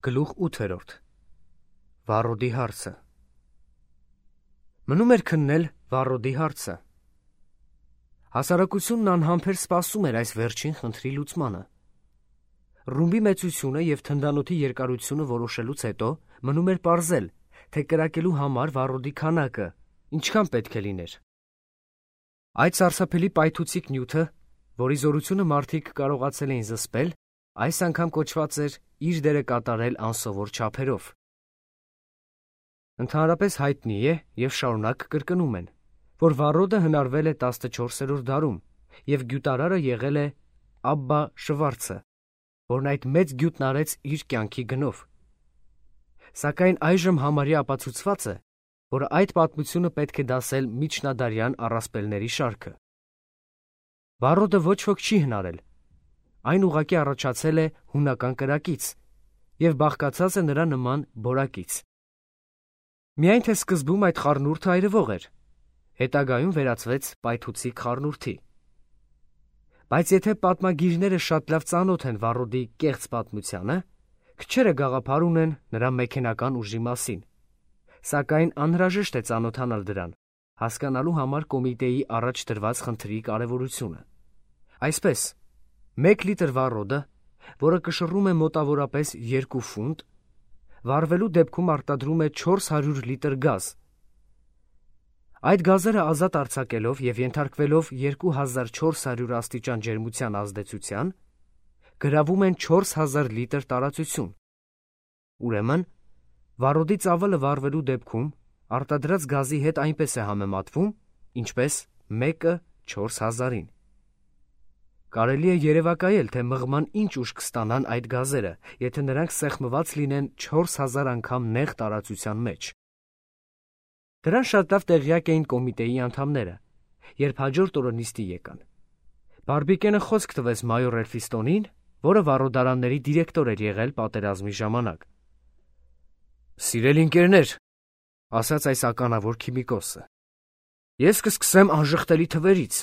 Գլուխ 8. Վառոդի հարցը։ Մնում էր քննել Վառոդի հարցը։ Հասարակությունն անհամբեր սպասում էր այս վերջին խնդրի լուծմանը։ Ռումբի մեծությունը և թնդանոթի երկարությունը որոշելուց հետո մնում էր պարզել, թե կրակելու համար վառոդի քանակը ինչքան պետք է լիներ։ Այդ սարսափելի պայթուցիկ նյութը, որի զորությունը մարդիկ կարողացել էին զսպել, այս անգամ կոչված էր իր դերը կատարել անսովոր չափերով։ Ընդհանրապես հայտնի է և շարունակ կրկնում են, որ վառոդը հնարվել է 14-րդ դարում և գյուտարարը եղել է Աբբա Շվարցը, որն այդ մեծ գյուտն արեց իր կյանքի գնով։ Սակայն այժմ համարյա ապացուցված է, որ այդ պատմությունը պետք է դասել միջնադարյան առասպելների շարքը։ Վառոդը ոչ ոք չի հնարել, այն ուղղակի առաջացել է հունական կրակից և բաղկացած է նրա նման բորակից։ Միայն թե սկզբում այդ խառնուրդը այրվող էր, հետագայում վերածվեց պայթուցիկ խառնուրդի։ Բայց եթե պատմագիրները շատ լավ ծանոթ են վառոդի կեղծ պատմությանը, քչերը գաղափար ունեն նրա մեքենական ուժի մասին, սակայն անհրաժեշտ է ծանոթանալ դրան, հասկանալու համար կոմիտեի առաջ դրված խնդրի կարևորությունը։ Այսպես, 1 լիտր վառոդը, որը կշռում է մոտավորապես 2 ֆունտ, վառվելու դեպքում արտադրում է 400 լիտր գազ։ Այդ գազերը ազատ արձակելով և ենթարկվելով 2400 աստիճան ջերմության ազդեցության, գրավում են 4000 լիտր տարածություն։ Ուրեմն, վառոդի ծավալը վառվելու դեպքում արտադրած գազի հետ այնպես է համեմատվում, ինչպես 1-ը 4000-ին։ Կարելի է երևակայել, թե մղման ինչ ուժ կստանան այդ գազերը, եթե նրանք սեղմված լինեն 4000 անգամ նեղ տարածության մեջ։ Դրան շատ լավ տեղյակ էին կոմիտեի անդամները, երբ հաջորդ օրը նիստի եկան։ Բարբիկենը խոսք տվեց մայոր Էլֆիստոնին, որը վառոդարանների դիրեկտոր էր եղել պատերազմի ժամանակ։ «Սիրելի ընկերներ», ասաց այս ականավոր քիմիկոսը, «ես կսկսեմ անժխտելի թվերից,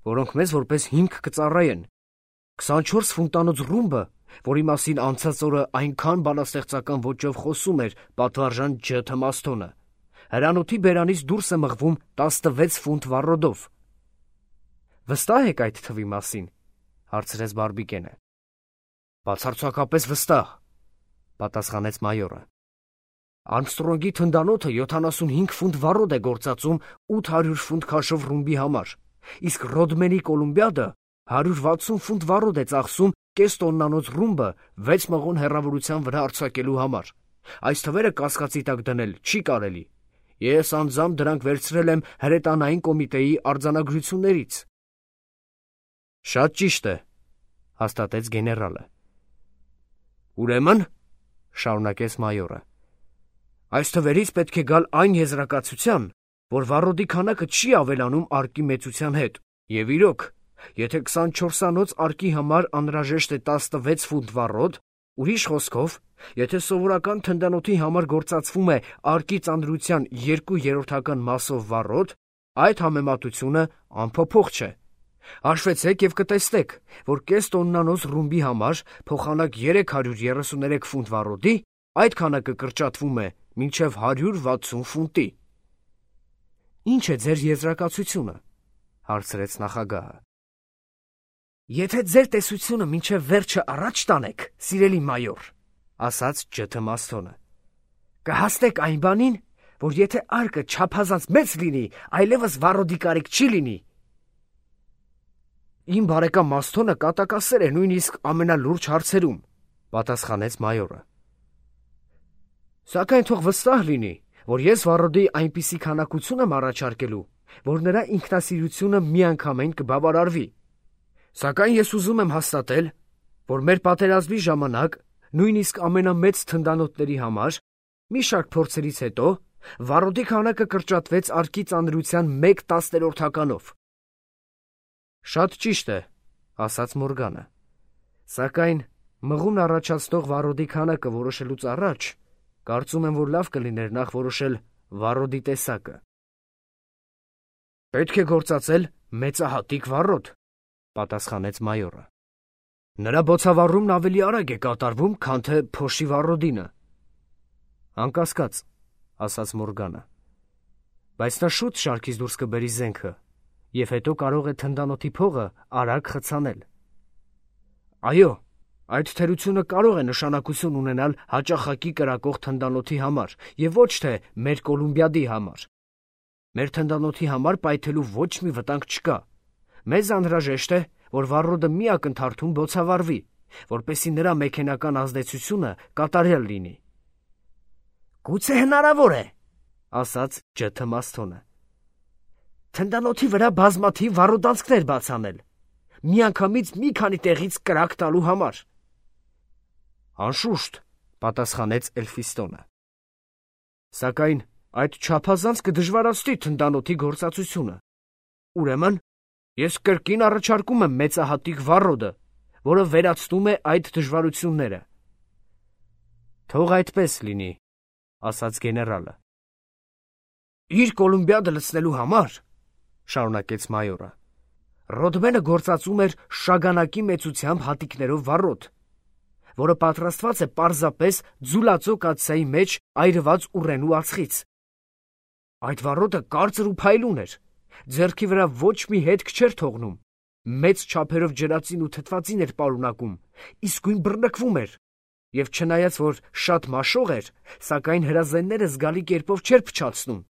որոնք մեզ որպես հիմք կծառայեն։ 24 ֆունտանոց ռումբը, որի մասին անցած օրը այնքան բանաստեղծական ոճով խոսում էր պատվարժան Ջ. Թմասթոնը, հրանոթի բերանից դուրս է մղվում 16 ֆունտ վառոդով»։ «Վստահ եք այդ թվի մասին», հարցրեց Բարբիկենը։ «Բացարձակապես վստահ», պատասխանեց մայորը։ «Արմստրոնգի թնդանոթը 75 ֆունտ վառոդ է գործածում 800 ֆունտ քաշով ռումբի համար, իսկ Ռոդմենի Կոլումբիադը 160 ֆունտ վառոդ է ծախսում կես տոննանոց ռումբը 6 մղոն հեռավորության վրա արձակելու համար։ Այս թվերը կասկածի տակ դնել չի կարելի։ Ես անձամբ դրանք վերցրել եմ հրետանային կոմիտեի արձանագրություններից»։ «Շատ ճիշտ է», հաստատեց գեներալը։ «Ուրեմն», շարունակեց մայորը, «այս թվերից պետք է գալ այն եզրակացության, որ վառոդի քանակը չի ավելանում արկի մեծության հետ, և իրոք, եթե 24-անոց արկի համար անհրաժեշտ է 16 ֆունտ վառոդ, ուրիշ խոսքով, եթե սովորական թնդանոթի համար գործածվում է արկի ծանրության 2/3 մասով վառոդ, այդ համեմատությունը անփոփոխ չէ։ Հաշվեցեք և կտեսնեք, որ կես տոննանոց ռումբի համար փոխանակ 333 ֆունտ վառոդի այդ քանակը կրճատվում է մինչև 160 ֆունտի»։ «Ինչ է ձեր եզրակացությունը», հարցրեց նախագահը։ «Եթե ձեր տեսությունը մինչև վերջը առաջ տանեք, սիրելի մայոր», ասաց Ջ. Թմասթոնը, «կհասնեք այն բանին, որ եթե արկը չափազանց մեծ լինի, այլևս վառոդի կարիք չի լինի»։ «Իմ բարեկամ Մասթոնը կատակասեր է նույնիսկ ամենալուրջ հարցերում», պատասխանեց մայորը։ «Սակայն թող վստահ լինի, որ ես վառոդի այնպիսի քանակություն եմ առաջարկելու, որ նրա ինքնասիրությունը միանգամայն կբավարարվի։ Սակայն ես ուզում եմ հաստատել, որ մեր պատերազմի ժամանակ, նույնիսկ ամենամեծ թնդանոթների համար, մի շարք փորձերից հետո, վառոդի քանակը կրճատվեց արկի ծանրության 1/10-ով»։ «Շատ ճիշտ է», ասաց Մորգանը, «սակայն մղումն առաջացնող վառոդի քանակը որոշելուց առաջ, կարծում եմ, որ լավ կլիներ նախ որոշել վառոդի տեսակը»։ «Պետք է գործածել մեծահատիկ վառոդ», պատասխանեց մայորը։ Նրա բոցավառումն ավելի արագ է կատարվում, քան թե փոշի վառոդինը։ Անկասկած, ասաց Մորգանը, բայց նա շուտ շարքից դուրս կբերի զենքը, և հետո կարող է թնդանոթի փողը արագ խցանել։ Այո, այդ թերությունը կարող է նշանակություն ունենալ հաճախակի կրակող թնդանոթի համար և ոչ թե մեր Կոլումբիադի համար։ Մեր թնդանոթի համար պայթելու ոչ մի վտանգ չկա։ Մեզ անհրաժեշտ է, որ վառոդը մի ակնթարթում բոցավառվի, որպեսզի նրա մեքենական ազդեցությունը կատարյալ լինի։ Գուցե հնարավոր է, ասաց Ջ. Մասթոնը, թնդանոթի վրա բազմաթիվ վառոդանցքներ բացանել, միանգամից մի քանի տեղից կրակ տալու համար։ Անշուշտ, պատասխանեց Էլֆիստոնը։ Սակայն այդ չափազանց կդժվարացնի թնդանոթի գործածությունը։ Ուրեմն, ես կրկին առաջարկում եմ մեծահատիկ վառոդը, որը վերացնում է այդ դժվարությունները։ Թող այդպես լինի, ասաց գեներալը։ Իր Կոլումբիադը լցնելու համար, շարունակեց մայորը, Ռոդմենը գործածում էր շագանակի մեծությամբ հատիկներով վառոդ, որը պատրաստված է պարզապես ձուլածո կաթսայի մեջ այրված ուռենու ածխից։ Այդ վառոդը կարծր ու փայլուն էր, ձեռքի վրա ոչ մի հետք չէր թողնում, մեծ չափերով ջրածին ու թթվածին էր պարունակում, իսկույն բռնկվում էր, և չնայած որ շատ մաշող էր, սակայն հրազենները զգալի կերպով չէր փչացնում։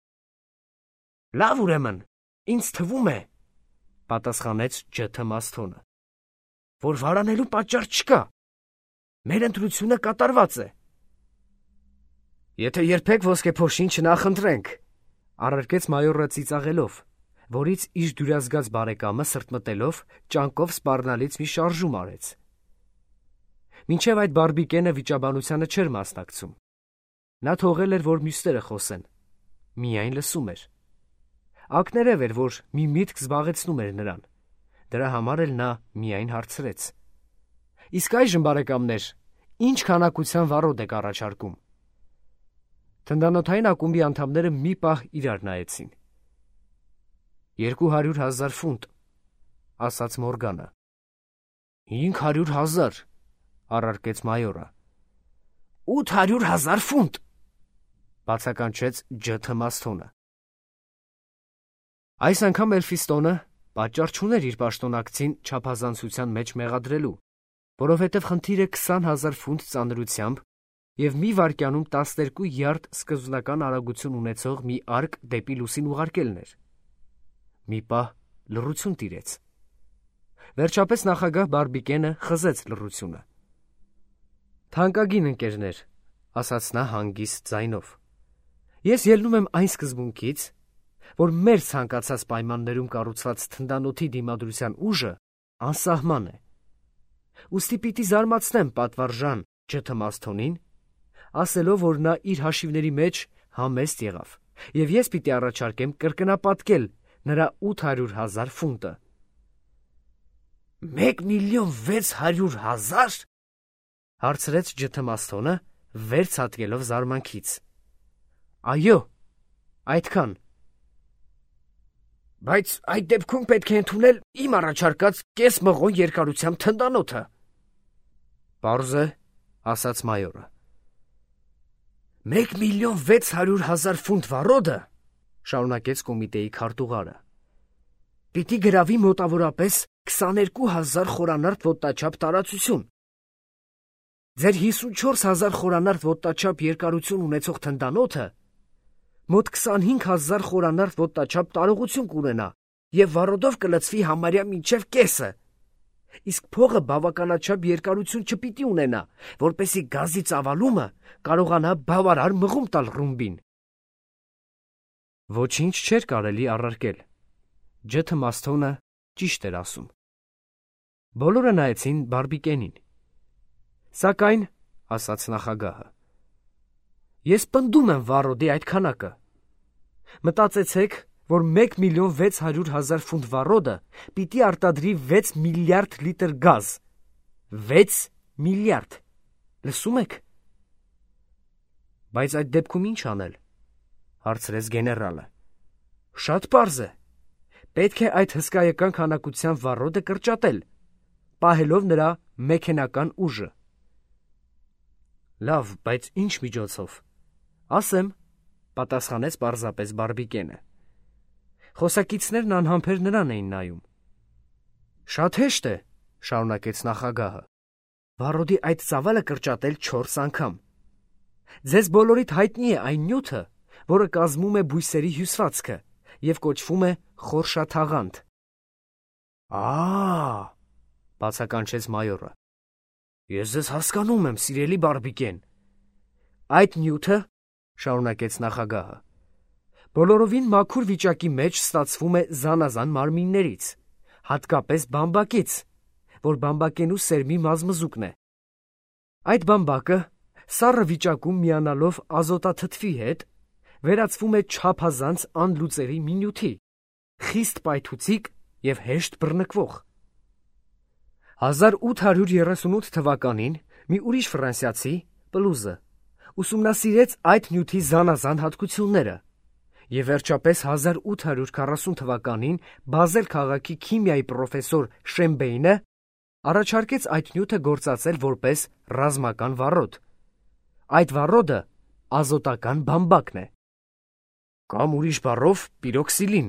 Լավ, ուրեմն, ինձ թվում է, պատասխանեց Ջ. Մասթոնը, որ վարանելու պատճառ չկա։ Մեր ընտրությունը կատարված է։ Եթե երբեք ոսկեփոշին չնախընտրենք, առարկեց մայորը ծիծաղելով, որից իր դյուրազգաց բարեկամը սրտմտելով ճանկով սպառնալից մի շարժում արեց։ Մինչև այդ բարբիկենը վիճաբանությանը չէր մասնակցում։ Նա թողել էր, որ մյուսները խոսեն, միայն լսում էր։ Ակներև էր, որ մի միտք զբաղեցնում էր նրան, դրա համար էլ նա միայն հարցրեց. Իսկ այժմ, բարեկամներ, ինչ քանակության վառոդ եք առաջարկում։ Թնդանոթային ակումբի անդամները մի պահ իրար նայեցին։ 200,000 ֆունտ, ասաց Մորգանը։ 500,000, առարկեց մայորը։ 800,000 ֆունտ, բացականչեց Ջ. Մասթոնը։ Այս անգամ Էլֆիստոնը պատճառ չուներ իր պաշտոնակցին չափազանցության մեջ մեղադրելու, որովհետև խնդիրը 20,000 ֆունտ ծանրությամբ և մի վայրկյանում 12 յարդ սկզբնական արագություն ունեցող մի արկ դեպի լուսին ուղարկելն էր։ Մի պահ լռություն տիրեց։ Վերջապես նախագահ Բարբիկենը խզեց լռությունը։ Թանկագին ընկերներ, ասաց նա հանգիստ ձայնով, ես ելնում եմ այն սկզբունքից, որ մեր ցանկացած պայմաններում կառուցված թնդանոթի դիմադրության ուժը անսահման է։ Ուստի պիտի զարմացնեմ պատվարժան Ջ. Մասթոնին, ասելով, որ նա իր հաշիվների մեջ համեստ եղավ, և ես պիտի առաջարկեմ կրկնապատկել նրա 800,000 ֆունտը։ 1,600,000 հարցրեց Ջ. Մասթոնը, վեր ցատկելով զարմանքից։ Այո, այդքան։ Բայց այդ դեպքում պետք է ընդունել իմ առաջարկած կես մղոն երկարությամբ թնդանոթը։ Պարզ է, ասաց մայորը։ 1,600,000 ֆունտ վառոդը, շարունակեց կոմիտեի քարտուղարը, պիտի գրավի մոտավորապես 22,000 խորանարդ ոտնաչափ տարածություն։ Ձեր 54,000 խորանարդ ոտնաչափ երկարություն ունեցող թնդանոթը մոտ 25,000 խորանարդ ոտնաչափ տարողություն կունենա և վառոդով կլցվի համարյա մինչև կեսը, իսկ փողը բավականաչափ երկարություն չպիտի ունենա, որպեսզի գազի ծավալումը կարողանա բավարար մղում տալ ռումբին։ Ոչինչ չէր կարելի առարկել։ Ջ. Մասթոնը ճիշտ էր ասում։ Բոլորը նայեցին Բարբիկենին։ Սակայն, ասաց նախագահը, ես պնդում եմ վառոդի այդ քանակը։ Մտածեցեք, որ 1,600,000 ֆունտ վառոդը պիտի արտադրի 6 միլիարդ լիտր գազ։ 6 միլիարդ, լսում եք։ Բայց այդ դեպքում ինչ անել, հարցրեց գեներալը։ Շատ պարզ է, պետք է այդ հսկայական քանակությամբ վառոդը կրճատել, պահելով նրա մեքենական ուժը։ Լավ, բայց ինչ միջոցով։ Ասեմ, պատասխանեց պարզապես Բարբիկենը։ Խոսակիցներն անհամբեր նրան էին նայում։ Շատ հեշտ է, շարունակեց նախագահը, վառոդի այդ ծավալը կրճատել 4 անգամ։ Ձեզ բոլորիդ հայտնի է այն նյութը, որը կազմում է բույսերի հյուսվածքը և կոչվում է խորշաթաղանթ։ Բացականչեց մայորը։ Ես ձեզ հասկանում եմ, սիրելի Բարբիկեն։ Այդ նյութը, շարունակեց նախագահը, բոլորովին մաքուր վիճակի մեջ ստացվում է զանազան մարմիններից, հատկապես բամբակից, որ բամբակենու սերմի մազմզուկն է։ Այդ բամբակը, սառը վիճակում միանալով ազոտաթթվի հետ, վերածվում է չափազանց անլուծելի մի նյութի, խիստ պայթուցիկ և հեշտ բռնկվող։ 1838 թվականին մի ուրիշ ֆրանսիացի, Պլուզը, ուսումնասիրեց այդ նյութի զանազան հատկությունները և վերջապես 1840 թվականին Բազել քաղաքի քիմիայի պրոֆեսոր Շեմբեյնը առաջարկեց այդ նյութը գործածել որպես ռազմական վառոդ։ Այդ վառոդը ազոտական բամբակն է։ Կամ ուրիշ բառով պիրոքսիլին,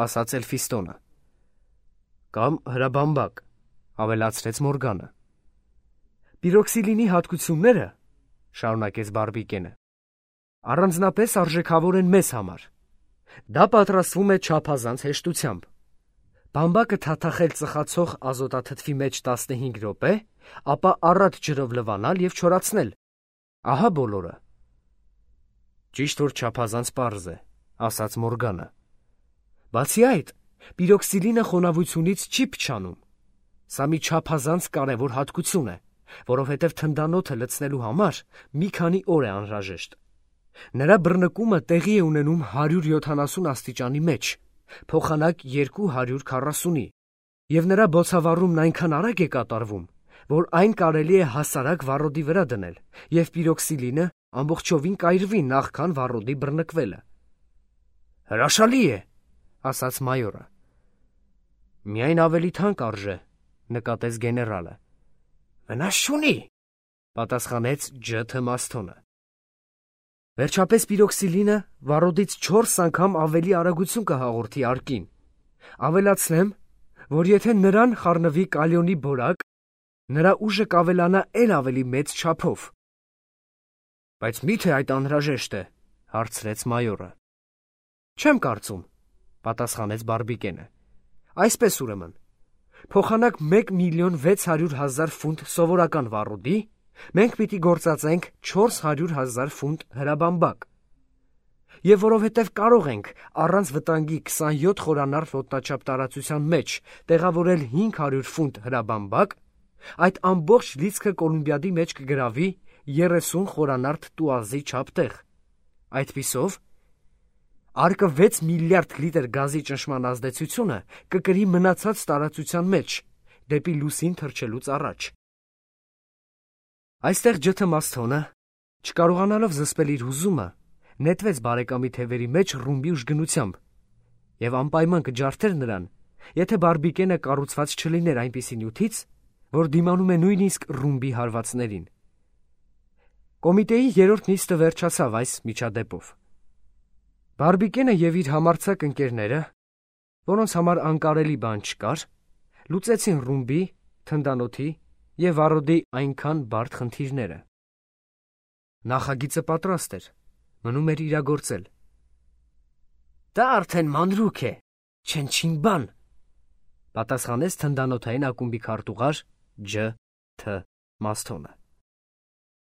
ասաց Էլֆիստոնը։ Կամ հրաբամբակ, ավելացրեց Մորգանը։ Պիրոքսիլինի հատկությունները, շարունակեց Բարբիկենը, առանձնապես արժեքավոր են մեզ համար։ Դա պատրաստվում է չափազանց հեշտությամբ։ Բամբակը թաթախել ծխացող ազոտաթթվի մեջ 15 րոպե, ապա առատ ջրով լվանալ և չորացնել։ Ահա բոլորը։ Ճիշտ որ չափազանց պարզ է, ասաց Մորգանը։ Բացի այդ, պիրոքսիլինը խոնավությունից չի փչանում։ Սա մի չափազանց կարևոր հատկություն է, որովհետև թնդանոթը լցնելու համար մի քանի օր է անհրաժեշտ։ Նրա բռնկումը տեղի է ունենում 170 աստիճանի մեջ, փոխանակ 240-ի, և նրա բոցավառումն այնքան արագ է կատարվում, որ այն կարելի է հասարակ վառոդի վրա դնել, և պիրոքսիլինը ամբողջովին կայրվի նախքան վառոդի բռնկվելը։ Հրաշալի է, ասաց մայորը։ Միայն ավելի թանկ արժե, նկատեց գեներալը։ Վնաս չունի, պատասխանեց Ջ. Մաստոնը։ Վերջապես պիրոքսիլինը վառոդից 4 անգամ ավելի արագություն կհաղորդի արկին։ Ավելացնեմ, որ եթե նրան խառնվի կալիոնի բորակ, նրա ուժը կավելանա էլ ավելի մեծ չափով։ Բայց մի՞թե այդ անհրաժեշտ է, հարցրեց մայորը։ Չեմ կարծում, պատասխանեց Բարբիկենը։ Այսպես ուրեմն, փոխանակ 1,600,000 ֆունտ սովորական վառոդի, մենք պիտի գործածենք 400,000 ֆունտ հրաբամբակ։ Եվ որովհետև կարող ենք առանց վտանգի 27 խորանարդ ոտնաչափ տարածության մեջ տեղավորել 500 ֆունտ հրաբամբակ, այդ ամբողջ լիցքը Կոլումբիադի մեջ կգրավի 30 խորանարդ տուազի չափ տեղ։ Այդպիսով, արկը 6 միլիարդ լիտր գազի ճնշման ազդեցությունը կկրի մնացած տարածության մեջ, դեպի լուսին թռչելուց առաջ։ Այստեղ Ջ. Մաստոնը, չկարողանալով զսպել իր հուզումը, նետվեց բարեկամի թևերի մեջ ռումբի ուժգնությամբ և անպայման կջարդեր նրան, եթե Բարբիկենը կառուցված չլիներ այնպիսի նյութից, որ դիմանում է նույնիսկ ռումբի հարվածներին։ Կոմիտեի 3-րդ նիստը վերջացավ այս միջադեպով։ Բարբիկենը և իր համարձակ ընկերները, որոնց համար անկարելի բան չկար, լուծեցին ռումբի, թնդանոթի և վառոդի այնքան բարդ խնդիրները։ Նախագիծը պատրաստ էր, մնում էր իրագործել։ Դա արդեն մանրուք է, չնչին բան, պատասխանեց թնդանոթային ակումբի քարտուղար Ջ. Თ. Մաստոնը։